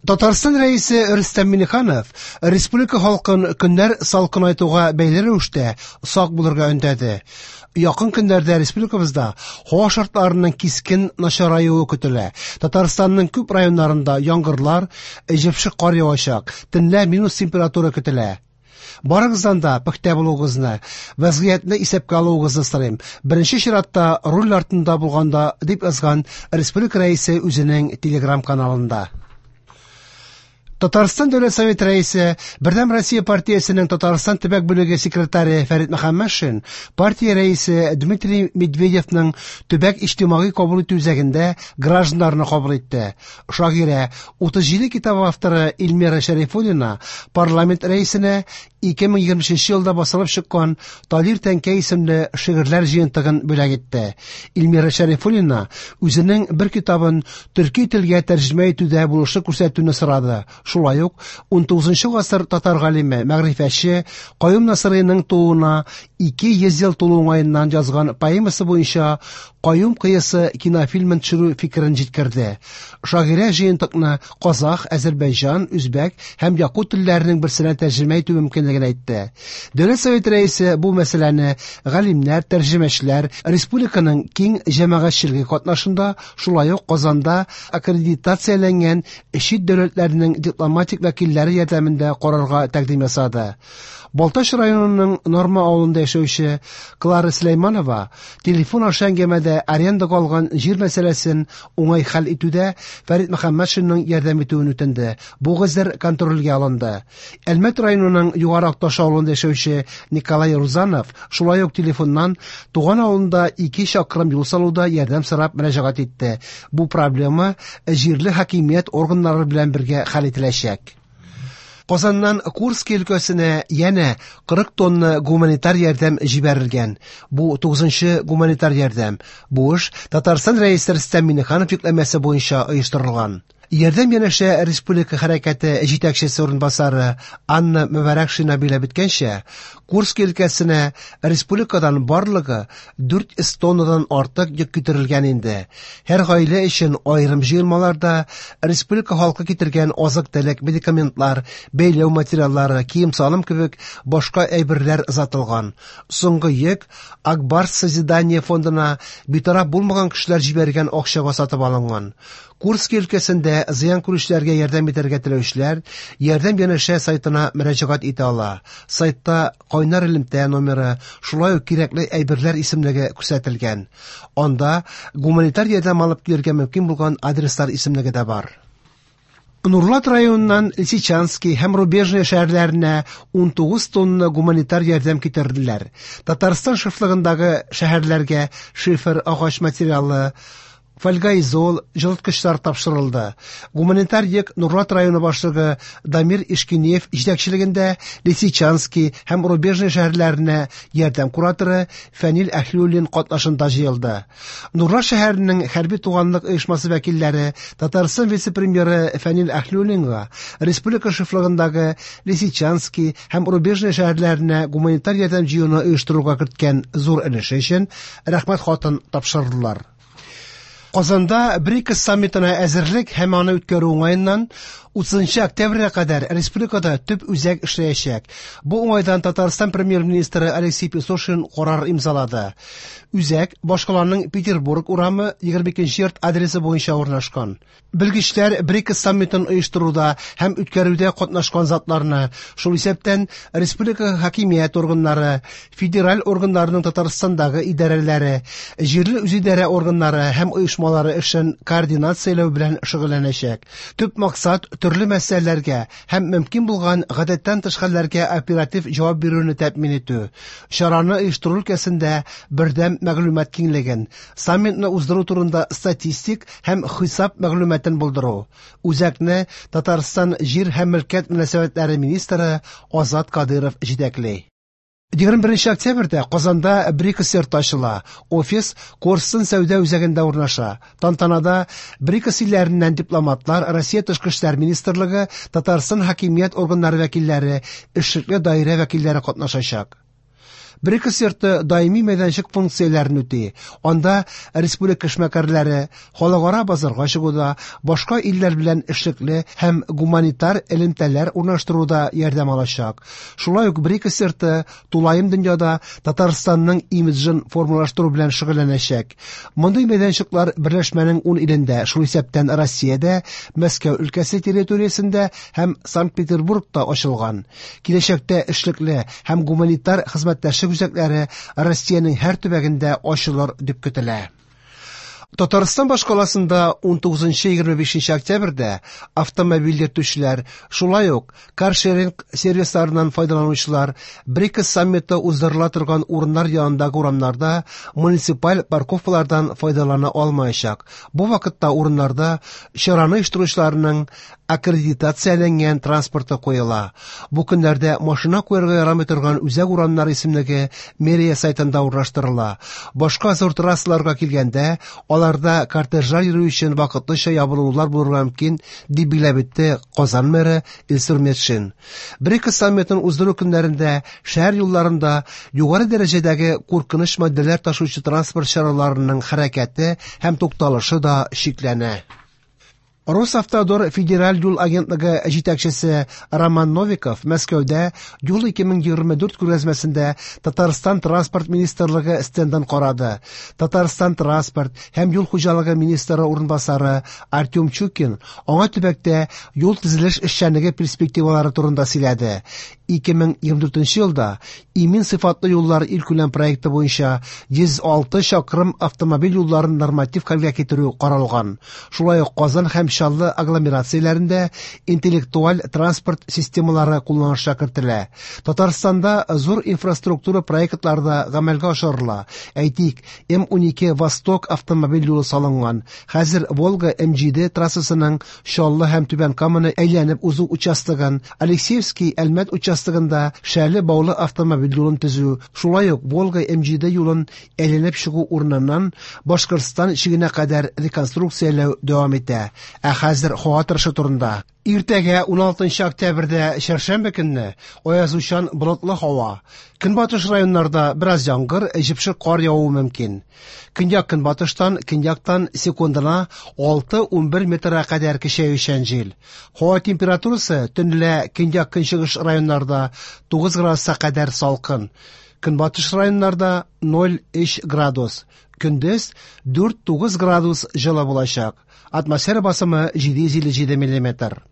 Татарстан Рәисе Рөстәм Миңнеханов республика халкын көннәр салкынайтуга бәйле рәвештә сак булырга өндәде. Якын көннәрдә республикабызда һава шартларының кискен начараюы көтелә. Татарстанның күп районнарында яңгырлар, җепшек кар явачак, төнлә минус температура көтелә. Барыгыздан да пөхтә булуыгызны, вәзгыятьне исәпкә алуыгызны сорыйм. Беренче чиратта руль артында булганда, дип язган республика Рәисе үзенең телеграм-каналында. Татарстан Дәүләт Советы Рәисе, Бердәм Россия партиясенең Татарстан төбәк бүлеге секретаре Фәрит Мөхәммәтшин партия рәисе Дмитрий Медведевның төбәк иҗтимагый кабул итү үзәгендә гражданнарны кабул итте. Шагыйрә, 37 китап авторы Эльмира Шәрифуллина парламент рәисенә 2023 елда басылып чыккан Талир тәңкә исемле шигырьләр җыентыгын бүләк итте. Эльмира Шәрифуллина үзенең бер китабын төрки телгә тәрҗемә итүдә булышлык күрсәтүне сорады. Шулай ук 19 гасыр татар галиме, мәгърифәтче Каюм Насыйриның тууына 200 ел тулу уңаеннан язган поэмасы буенча Каюм кыясы кинофильмын төшерү фикерен җиткерде. Шагыйрә җыентыкны казах, әзербайҗан, үзбәк һәм якут телләренең берсенә тәрҗемә итү мөмкинлеген әйтте. Дәүләт Советы рәисе бу мәсьәләне галимнәр, тәрҗемәчеләр, республиканың киң җәмәгатьчелеге катнашында, шулай ук Казанда аккредитацияләнгән чит дәүләтләрнең дипломатик вәкилләре ярдәмендә карарга тәкъдим ясады. Балтач районының Норма авылында яшәүче Клара Сөләйманова телефон аша әңгәмәдә арендага алган җир мәсьәләсен уңай хәл итүдә Фәрит Мөхәммәтшинның ярдәм итүен үтенде. Бу гозер контрольгә алынды. Әлмәт районының Югары Акташ авылында яшәүче Николай Рузанов шулай ук телефоннан туган авылында 2 чакрым юл салуда ярдәм сорап мөрәҗәгать итте. Бу проблема җирле хакимият органнары белән бергә хәл ителәчәк. Казаннан Курский өлкәсенә янә 40 тонна гуманитар ярдәм җибәрелгән. Бу 9нчы гуманитар ярдәм. Бу эш Татарстан Рәисе Рөстәм Миңнеханов йөкләмәсе буенча оештырылган. Ярдәм янәшә республика хәрәкәте җитәкчесе урынбасары Анна Мөбарәкшина биләп үткәнчә, Курский өлкәсенә республикадан барлыгы 400 тоннадан артык йөк китерелгән инде. Һәр гаилә өчен аерым җыелмаларда республика халкы китергән азык-төлек, медикаментлар, бәйләү материаллары, кием-салым кебек башка әйберләр озатылган. Соңгы йөк Акбарс созидание фондына битараф булмаган кешеләр җибәргән акчага сатып алынган. Курский өлкәсендә зыян күрүчеләргә ярдәм итәргә теләүчеләр Ярдәм янәшә сайтына мөрәҗәгать итә ала. Сайтта кайнар элемтә номеры, шулай ук кирәкле әйберләр исемлеге күрсәтелгән. Анда гуманитар ярдәм алып килергә мөмкин булган адреслар исемлеге дә бар. Нурлат районыннан Лисичанский һәм Рубежное шәһәрләренә 19 тонна гуманитар ярдәм китерделәр. Татарстан шефлыгындагы шәһәрләргә шифер, агач материалы, фольгаизол, җылыткычлар тапшырылды. Гуманитар йөк Нурлат районы башлыгы Дамир Ишкинеев җитәкчелегендә Лисичанский һәм Рубежное шәһәрләренә ярдәм кураторы Фәнил Әһлиуллин катнашында җыелды. Нурлат шәһәренең хәрби туганлык оешмасы вәкилләре Татарстан вице-премьеры Фәнил Әһлиуллинга республика шефлыгындагы Лисичанский һәм Рубежное шәһәрләренә гуманитар ярдәм җыюны оештыруга керткән зур өлеше өчен рәхмәт хатын тапшырдылар. Казанда БРИКС саммитына әзерлек һәм аны үткәрү уңаеннан 30 октябрьгә кадәр республикада төп үзәк эшләячәк. Бу уңайдан Татарстан премьер-министры Алексей Песошин карар имзалады. Үзәк башкаланың Петербург урамы 22 йорт адресы буенча урнашкан. Белгечләр БРИКС саммитын оештыруда һәм үткәрүдә катнашкан затларны, шул исәптән республика хакимият органнары, федераль органнарының Татарстандагы идарәләре, җирле үзидарә органнары һәм оешмалары эшен координацияләү белән шөгыльләнәчәк. Төп максат төрле мәсьәләләргә һәм мөмкин булган гадәттән тыш хәлләргә оператив җавап бирүне тәэмин итү. Чараны оештыру өлкәсендә бердәм мәгълүмат киңлеген, саммитны уздыру турында статистик һәм хисап мәгълүматын булдыру. Үзәкне Татарстан җир һәм мөлкәт мөнәсәбәтләре министры Азат Кадыров җитәкли. 21 октябрьдә Казанда БРИКС йорты ачыла. Офис Корстон сәүдә үзәгендә урнаша. Тантанада БРИКС илләреннән дипломатлар, Россия тышкы эшләр министрлыгы, Татарстан хакимият органнары вәкилләре, эшлекле даирә вәкилләре катнашачак. БРИКС йорты даими мәйданчык функцияләрен үти. Анда республика эшмәкәрләре халыкара базарга чыгуда, башка илләр белән эшлекле һәм гуманитар элемтәләр урнаштыруда ярдәм алачак. Шулай ук БРИКС йорты тулаем дөньяда Татарстанның имиджын формалаштыру белән шөгыльләнәчәк. Мондый мәйданчыклар берләшмәнең 10 илендә, шул исәптән Россиядә, Мәскәү өлкәсе территориясендә һәм Санкт-Петербургта ачылган. Киләчәктә эшлекле һәм гуманитар хезмәттәшлек үзәкләре Россиянең һәр төбәгендә ачылыр дип көтелә. Татарстан башкаласында 19-25 октябрьдә автомобиль йөртүчеләр, шулай ук каршеринг сервисларыннан файдаланучылар БРИКС саммиты уздырыла торган урыннар янындагы урамнарда муниципаль парковкалардан файдалана алмаячак. Бу вакытта урыннарда чараны оештыручыларның аккредитацияләнгән транспорты куела. Бу көннәрдә машина куярга ярамый торган үзәк урамнар исемлеге мэрия сайтында урнаштырыла. Башка зур трассаларга килгәндә, аларда кортежлар йөрү өчен вакытлыча ябылулар булырга мөмкин, дип билгеләп үтте Казан мэры Илсур Метшин. БРИКС саммитын уздыру көннәрендә шәһәр юлларында югары дәрәҗәдәге куркыныч матдәләр ташучы транспорт чараларының хәрәкәте һәм тукталышы да чикләнә. Росавтодор федераль юл агентлыгы җитәкчесе Роман Новиков Мәскәүдә Юл 2024 күргәзмәсендә Татарстан транспорт министрлыгы стендын карады. Татарстан транспорт һәм юл хуҗалыгы министры урынбасары Артем Чукин аңа төбәктә юл төзелеш эшчәнлеге перспективалары турында сөйләде. 2024 елда Имин сыйфатлы юллар илкүләм проекты буенча 106 чакрым автомобиль юлларын норматив хәлгә китерү каралган. Шулай ук Казан һәм Чаллы агломерацияләрендә интеллектуаль транспорт системалары кулланышка кертелә. Татарстанда зур инфраструктура проектлары да гамәлгә ашырыла. Әйтик, М12 Восток автомобиль юлы салынган. Хәзер Волга М7 трассасының Чаллы һәм Түбән Каманы әйләнеп узу участогын, Алексеевский Әлмәт участогында Шәле Баулы автомобиль юлын төзү, шулай ук Волга М7 юлын әйләнеп чыгу урыныннан Башкортстан чигенә кадәр реконструкцияләү дәвам итә. Ә хәзер һава торышы турында. Иртәгә 16 октябрьдә чәршәмбе көнне аязучан болытлы һава. Көнбатыш районнарда бераз яңгыр, җепшек кар явуы мөмкин. Көньяк-көнбатыштан, көньяктан секундына 6-11 метрга кадәр көчәючән җил. Һава температурасы төнлә көньяк-көнчыгыш районнарда 9 градуска кадәр салкын. Көнбатыш районнарда 0,3 градус. Көндез 4-9 градус җылы булачак. Атмосфера басымы 757 миллиметр.